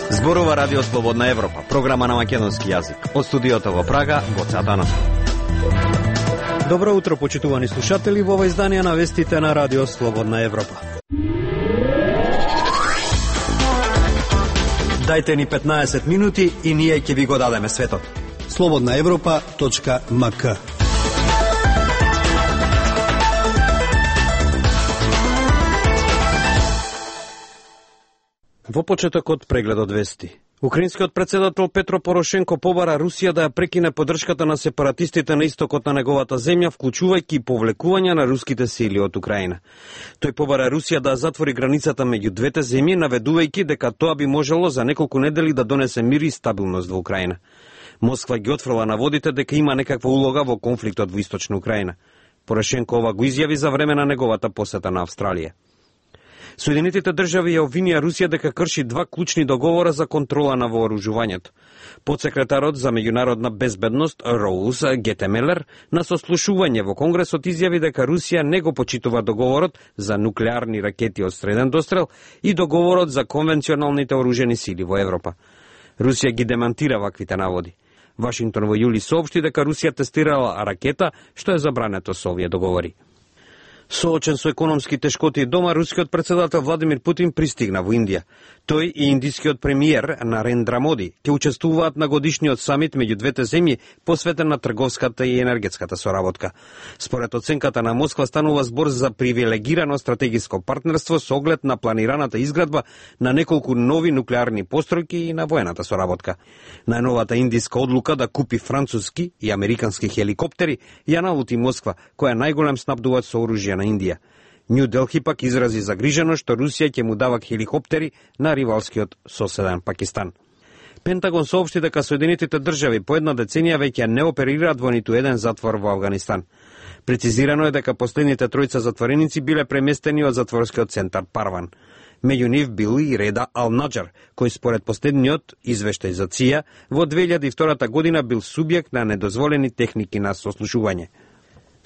Зборува Радио Слободна Европа, програма на македонски јазик. Од студиото во Прага, Гоце Атанасов. Добро утро, почитувани слушатели, во ова издание на вестите на Радио Слободна Европа. Дајте ни 15 минути и ние ќе ви го дадеме светот. slobodnaevropa.mk. Во почетокот прегледот вести. Украинскиот председател Петро Порошенко побара Русија да ја прекине поддршката на сепаратистите на истокот на неговата земја, вклучувајќи повлекување на руските сили од Украина. Тој побара Русија да затвори границата меѓу двете земји, наведувајќи дека тоа би можело за неколку недели да донесе мир и стабилност во Украина. Москва ги отфрла наводите дека има некаква улога во конфликтот во источна Украина. Порошенко ова го изјави за време на неговата посета на Австралија. Соединетите држави ја обвинија Русија дека крши два клучни договора за контрола на вооружувањето. Подсекретарот за меѓународна безбедност Роуз Гетемелер на сослушување во Конгресот изјави дека Русија не го почитува договорот за нуклеарни ракети од среден дострел и договорот за конвенционалните оружени сили во Европа. Русија ги демантира ваквите наводи. Вашингтон во јули соопшти дека Русија тестирала ракета, што е забрането со овие договори. Соочен со економски тешкоти дома, рускиот председател Владимир Путин пристигна во Индија. Тој и индискиот премиер Нарендра Моди ќе учествуваат на годишниот самит меѓу двете земји, посветен на трговската и енергетската соработка. Според оценката на Москва станува збор за привилегирано стратегиско партнерство со оглед на планираната изградба на неколку нови нуклеарни постројки и на воената соработка. Најновата индиска одлука да купи француски и американски хеликоптери ја налути Москва, која е најголем снабдувач со оружје на Индија. Нью Делхи пак изрази загриженост што Русија ќе му дава хеликоптери на ривалскиот соседен Пакистан. Пентагон соопшти дека Соединетите држави по една деценија веќе не оперираат во ниту еден затвор во Авганистан. Прецизирано е дека последните тројца затвореници биле преместени од затворскиот центар Парван. Меѓу нив бил и Реда Ал-Наджар, кој според последниот извештај за ЦИА во 2002 година бил субјект на недозволени техники на сослушување.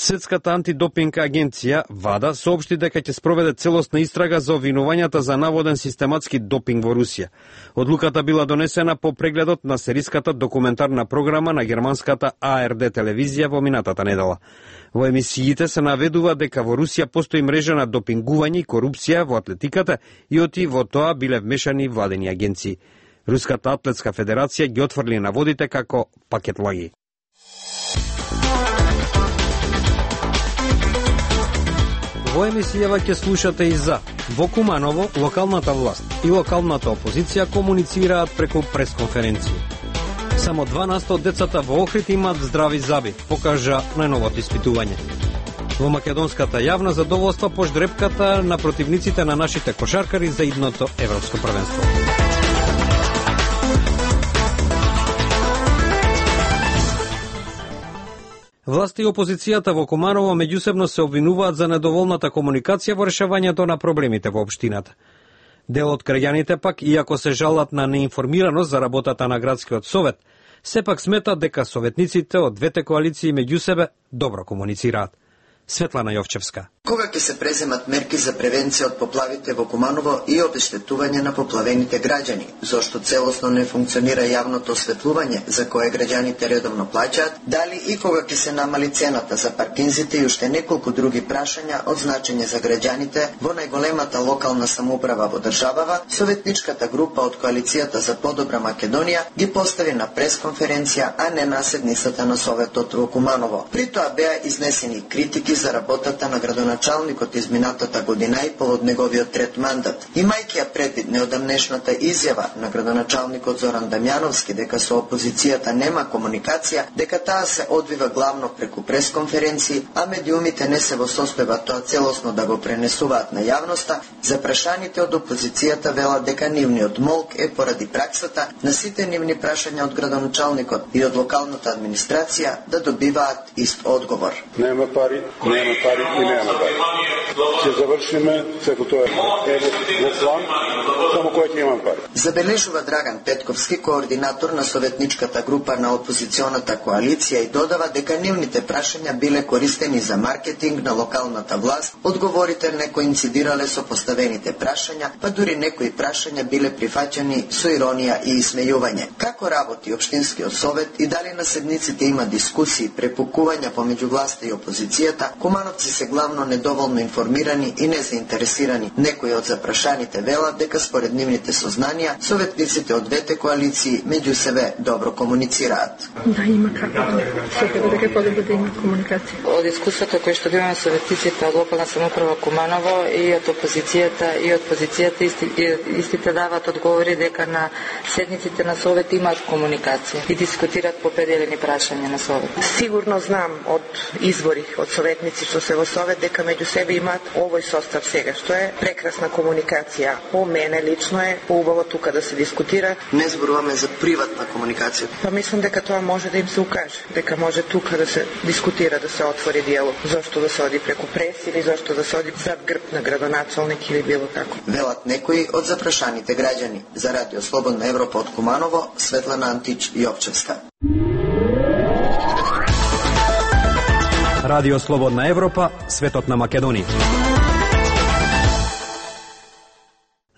Светската антидопинг агенција ВАДА соопшти дека ќе спроведе целосна истрага за обвинувањата за наводен систематски допинг во Русија. Одлуката била донесена по прегледот на сериската документарна програма на германската АРД телевизија во минатата недела. Во емисиите се наведува дека во Русија постои мрежа на допингување и корупција во атлетиката и оти во тоа биле вмешани владени агенции. Руската атлетска федерација ги отфрли наводите како пакетлаги. Во емисијава ќе слушате и за во Куманово локалната власт и локалната опозиција комуницираат преку пресконференција. Само 2% од децата во Охрид имаат здрави заби, покажа најновото испитување. Во македонската јавна задоволства по ждрепката на противниците на нашите кошаркари за идното европско првенство. Власти и опозицијата во Куманово меѓусебно се обвинуваат за недоволната комуникација во решавањето на проблемите во општината. Дел од граѓаните пак, иако се жалат на неинформираност за работата на градскиот совет, сепак сметат дека советниците од двете коалиции меѓу себе добро комуницираат. Светлана Јовчевска. Кога ќе се преземат мерки за превенција од поплавите во Куманово и обештетување на поплавените граѓани, зошто целосно не функционира јавното осветлување за кое граѓаните редовно плаќаат, дали и кога ќе се намали цената за паркинзите и уште неколку други прашања од значење за граѓаните во најголемата локална самоуправа во државава, советничката група од коалицијата за подобра Македонија ги постави на пресконференција, а не на седницата на Советот во Куманово. При тоа беа изнесени критики за работата на градоначалникот изминатата година и пол од неговиот трет мандат. Имајќи ја предвид неодамнешната изјава на градоначалникот Зоран Дамјановски дека со опозицијата нема комуникација, дека таа се одвива главно преку пресконференции, а медиумите не се во состојба тоа целосно да го пренесуваат на јавноста, запрашаните од опозицијата велат дека нивниот молк е поради праксата на сите нивни прашања од градоначалникот и од локалната администрација да добиваат ист одговор. Нема пари и нема пари. Ќе завршиме, секо тоа е во план, само кој ќе имам пари. Забележува Драган Петковски, координатор на советничката група на опозиционата коалиција, и додава дека нивните прашања биле користени за маркетинг на локалната власт, одговорите не коинцидирале со поставените прашања, па дури некои прашања биле прифаќани со иронија и исмејување. Како работи општинскиот совет и дали на седниците има дискусии, препукувања помеѓу власта и опозицијата, кумановци се главно недоволно информирани и незаинтересирани. Некои од запрашаните велат дека според нивните сознанија, советниците од двете коалиции меѓу себе добро комуницираат. Да, има како да секаде дека подобро да има комуникација. Од искуството кој што имаме советниците од локална самоуправа Куманово и од опозицијата истите дават одговори дека на седниците на совет имаат комуникација и дискутираат по определени прашања на совет. Сигурно знам од извори од советници што се во совет дека меѓу себе имаат овој состав сега, што е прекрасна комуникација. По мене лично е поубаво тука да се дискутира. Не зборуваме за приватна комуникација. Па мислам дека тоа може да им се укаже, дека може тука да се дискутира, да се отвори диалог. Зошто да се оди преку прес или зошто да се оди зад грб на градоначалник или било како. Велат некои од запрашаните граѓани. За Радио Слободна Европа од Куманово, Светлана Антич Јовчевска. Радио Слободна Европа, светот на Македонија.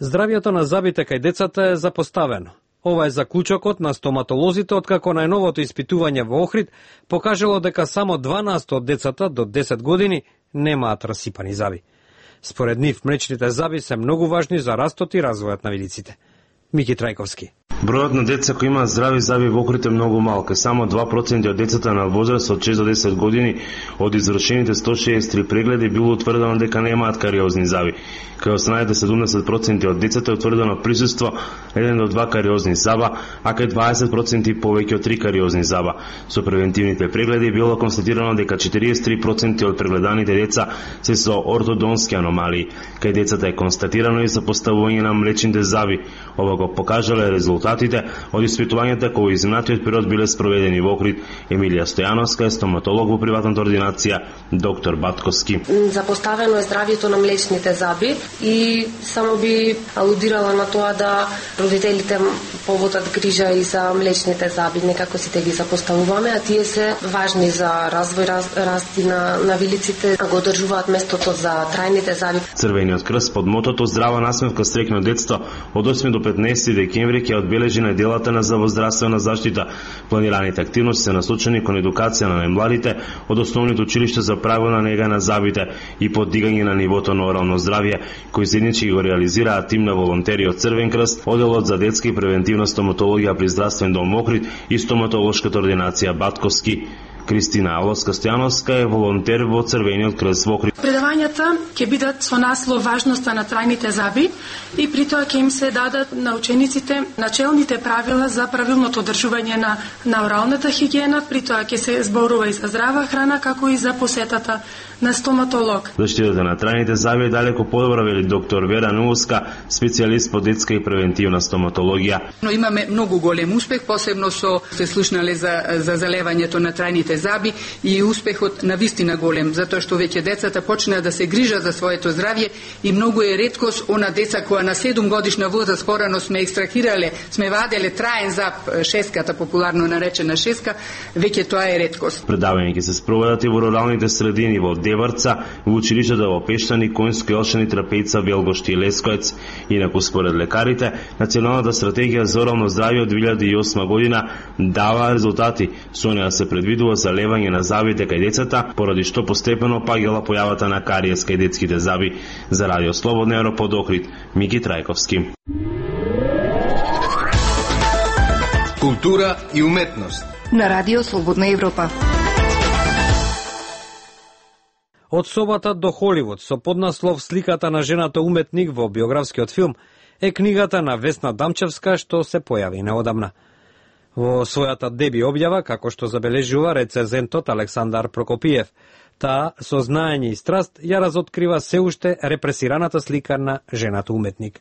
Здравјето на забите кај децата е запоставено. Ова е заклучокот на стоматолозите откако најновото испитување во Охрид покажало дека само 12 од децата до 10 години немаат расипани заби. Според нив, млечните заби се многу важни за растот и развојот на видиците. Мики Трајковски. Бројот на деца кои имаат здрави заби во Охрид е многу малку. Само 2% од децата на возраст од 6 до 10 години од извршените 163 прегледи било утврдено дека немаат кариозни заби. Кај останатите 70% од децата е утврдено присуство 1 до 2 кариозни заба, а кај 20% повеќе од 3 кариозни заба. Со превентивните прегледи било констатирано дека 43% од прегледаните деца се со ортодонски аномалии. Кај децата е констатирано и сопоставување на млечните заби. Ова го покажале резултатите од испитувањата кои изминатиот период биле спроведени во Охрид. Емилија Стојановска е стоматолог во приватната ординација доктор Батковски. Запоставено е здравјето на млечните заби и само би алудирала на тоа да родителите поводат грижа и за млечните заби, некако сите ги запоставуваме, а тие се важни за развој, расти на вилиците, го одржуваат местото за трајните заби. Црвениот крст под мотото Здрава насмевка стрекно детство од 8 до 15 декември ќе одбележи неделата на здравствена заштита. Планираните активности се насочени кон едукација на најмладите од основните училишта за правилна нега на забите и поддигање на нивото на орално здравје, кои заеднички го реализираат тим на волонтери од Црвен крст, оделот за детска и превентивна стоматологија при здравствен дом Охрид и стоматолошката ординација Батковски. Кристина Аловска-Стојановска е волонтер во Црвениот крст во Охрид. Предавањата ќе бидат со наслов важноста на трајните заби и при тоа ќе им се дадат на учениците начелните правила за правилното одржување на оралната хигиена, при тоа ќе се зборува и за здрава храна, како и за посетата на стоматолог. Заштитата на трајните заби е далеко подобра, вели доктор Вера Нуовска, специјалист по детска и превентивна стоматологија. Но имаме многу голем успех, посебно со се слушнале за залевањето на трајните заби и успехот на вистина голем, затоа што веќе децата почнаа да се грижат за своето здравје и многу е реткост она деца која на 7 годишна возраст порано сме екстрахирале, сме ваделе траен зап, шеската популарно наречена шеска, веќе тоа е реткост. Предавања ќе се спроведат и во руралните средини во Деварца, во училиштата во Пештани, Коњско, Елшани, Трапејца, Велгошти и Лескоец. Инаку според лекарите, Националната стратегија за орално здравје од 2008 година дава резултати. Со неа се предвидува залевање на забите кај децата, поради што постепено паѓала појавата на кариес кај детските заби. За Радио Слободна Европа од Охрид, Мики Трајковски. Култура и уметност на Радио Слободна Европа. Од собата до Холивуд со поднаслов Сликата на жената уметник во биографскиот филм е книгата на Весна Дамчевска што се појави неодамна. Во својата деби објава, како што забележува рецензентот Александар Прокопиев, таа со знаење и страст ја разоткрива се уште репресираната слика на жената уметник.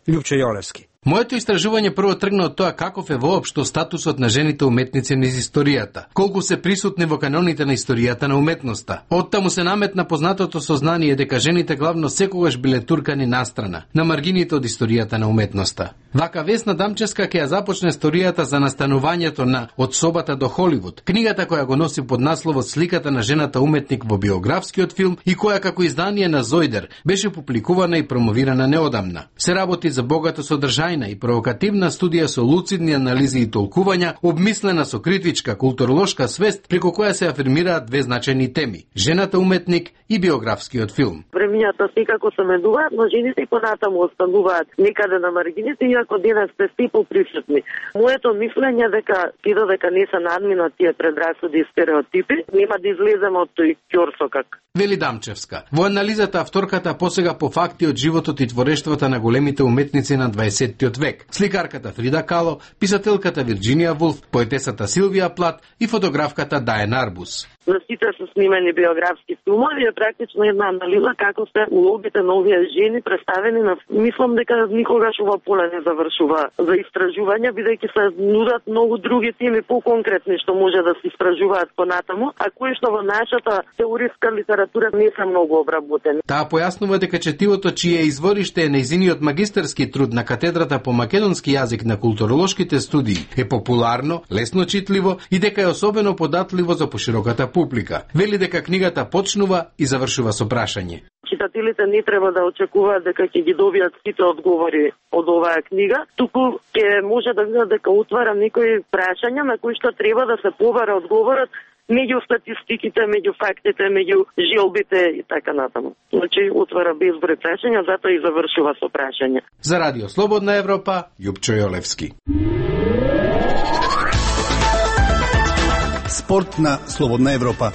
Љупче Јолевски. Моето истражување прво тргна од тоа каков е воопшто статусот на жените уметници низ историјата, колку се присутни во каноните на историјата на уметноста. Оттаму се наметна познатото сознание дека жените главно секогаш биле туркани настрана, на маргините од историјата на уметноста. Вака Весна Дамчевска ќе ја започне историјата за настанувањето на Од собата до Холивуд, книгата која го носи под насловот Сликата на жената уметник во биографскиот филм и која како издание на Зојдер беше публикувана и промовирана неодамна. Се работи за богато содржајна и провокативна студија со луцидни анализи и толкувања, обмислена со критичка културолошка свест, преку која се афирмираат две значајни теми: жената уметник и биографскиот филм. Премињата секако се менуваат, но жените и понатаму остануваат некаде на маргините, иако денес сте сте поприсутни. Моето мислење дека и додека не се надминат тие предрасуди и стереотипи, нема да излеземе од тој ќорсокак. Вели Дамчевска. Во анализата авторката посега по факти од животот и творештвата на големите уметници на 20 век. Сликарката Фрида Кало, писателката Вирджинија Вулф, поетесата Силвија Плат и фотографката Даен Арбус. За сите се снимени биографски филмови е практично една анализа како се улогите на овие жени представени на... Мислам дека никогаш ова поле не завршува за истражување, бидејќи се нудат многу други теми поконкретни што може да се истражуваат понатаму, а кои што во нашата теориска литература не се многу обработени. Таа појаснува дека четивото чие извориште е нејзиниот магистарски труд на катедрата по македонски јазик на културолошките студии е популарно, лесно читливо и дека е особено податливо за пошироката публика. Вели дека книгата почнува и завршува со прашање. Читателите не треба да очекуваат дека ќе ги добијат сите одговори од оваа книга, туку ќе може да видат дека отвара некои прашања на кои што треба да се побара одговорот меѓу статистиките, меѓу фактите, меѓу желбите и така натаму. Значи, отвара безброј прашања, затоа и завршува со прашања. За Радио Слободна Европа, Јупчо Јолевски. Спорт на Слободна Европа.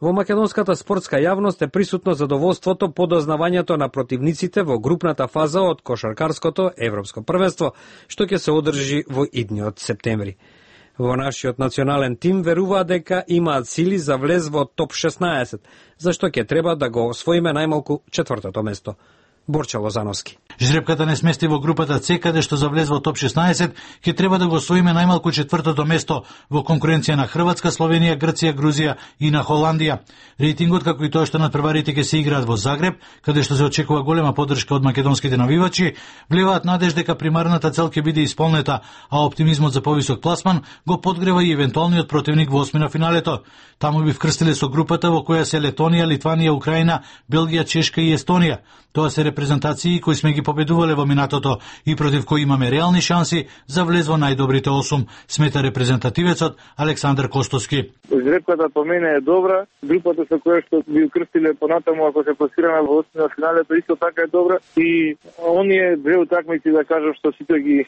Во македонската спортска јавност е присутно задоволството по дознавањето на противниците во групната фаза од кошаркарското европско првенство, што ќе се одржи во идниот септември. Во нашиот национален тим веруваат дека имаат сили за влез во топ 16, зашто ќе треба да го освоиме најмалку четвртото место. Борче Лозановски. Жребката не смести во групата С, каде што за влез во топ 16 ќе треба да го освоиме најмалку четвртото место во конкуренција на Хрватска, Словенија, Грција, Грузија и на Холандија. Рейтингот, како и тоа што надпреварите ќе се играат во Загреб, каде што се очекува голема поддршка од македонските навивачи, влеваат надеж дека примарната цел ќе биде исполнета, а оптимизмот за повисок пласман го подгрева и евентуалниот противник во осмина финалето. Таму би вкрстиле со групата во која се Летонија, Литванија, Украина, Белгија, Чешка и Естонија. Тоа се репрезентации кои сме ги победувале во минатото и против кои имаме реални шанси за влез во најдобрите 8, смета репрезентативецот Александар Костовски. Жребката по мене е добра, групата со која што би укрстиле понатаму ако се пласираме во осмина финалето исто така е добра и оние две утакмици да кажам што сите ги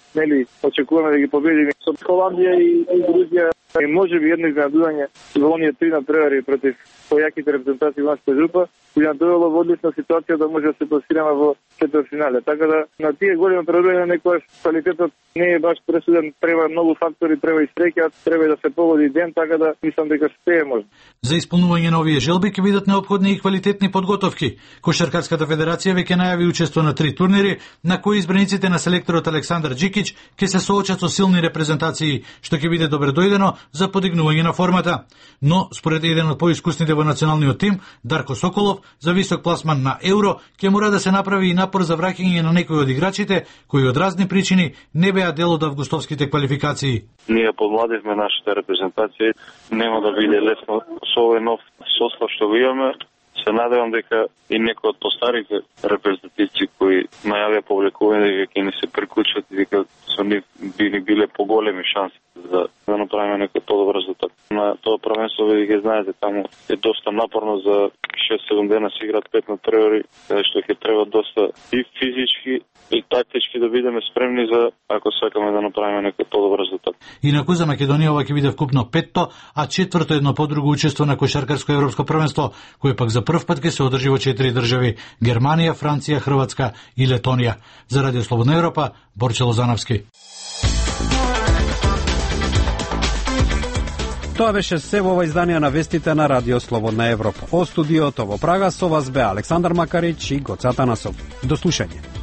очекуваме да ги победиме со Холандија и Грузија и можеби едно изненадување во оние три надпревари против појаките репрезентации во нашата група, која довело во одлична ситуација да може да се пласираме во четвртфинале. Така да на тие големи предојања некојаш квалитетот не е баш пресуден, треба многу фактори, треба и среќа, треба да се погоди ден, така да мислам дека се е можно. За исполнување на овие желби ќе бидат неопходни и квалитетни подготовки. Кошаркарската федерација веќе најави учество на 3 турнири, на кои избраниците на селекторот Александар Джикич ќе се соочат со силни репрезентации, што ќе биде добре дојдено за подигнување на формата. Но според еден од поискусните во националниот тим, Дарко Соколов, за висок пласман на Евро ќе мора да се направи и напор за враќање на некои од играчите кои од разни причини не беа дел од августовските квалификации. Ние помладивме нашата репрезентација, нема да биде лесно со овој нов состав што го имаме. Се надевам дека и некои од постарите репрезентативци кои најавија публикување дека ќе ни се приклучат и дека со нив би ни биле поголеми шанси да направиме некој подобар резултат. На тоа првенство веќе знаете, таму е доста напорно, за 6-7 дена се играат 5 надпревари, каде што ќе треба доста и физички и тактички да бидеме спремни за ако сакаме да направиме некој подобар резултат. Инаку за Македонија ова ќе биде вкупно 5-то, а четврто едно подруго учество на кошаркарско европско првенство, кое пак за прв пат ќе се одржи во 4 држави: Германија, Франција, Хрватска и Летонија. За Радио Слободна Европа, Борче Лозановски. Тоа беше се во ова издание на вестите на Радио Слободна Европа. О студиото во Прага со вас бе Александар Макарич и Гоце Атанасов. До слушање.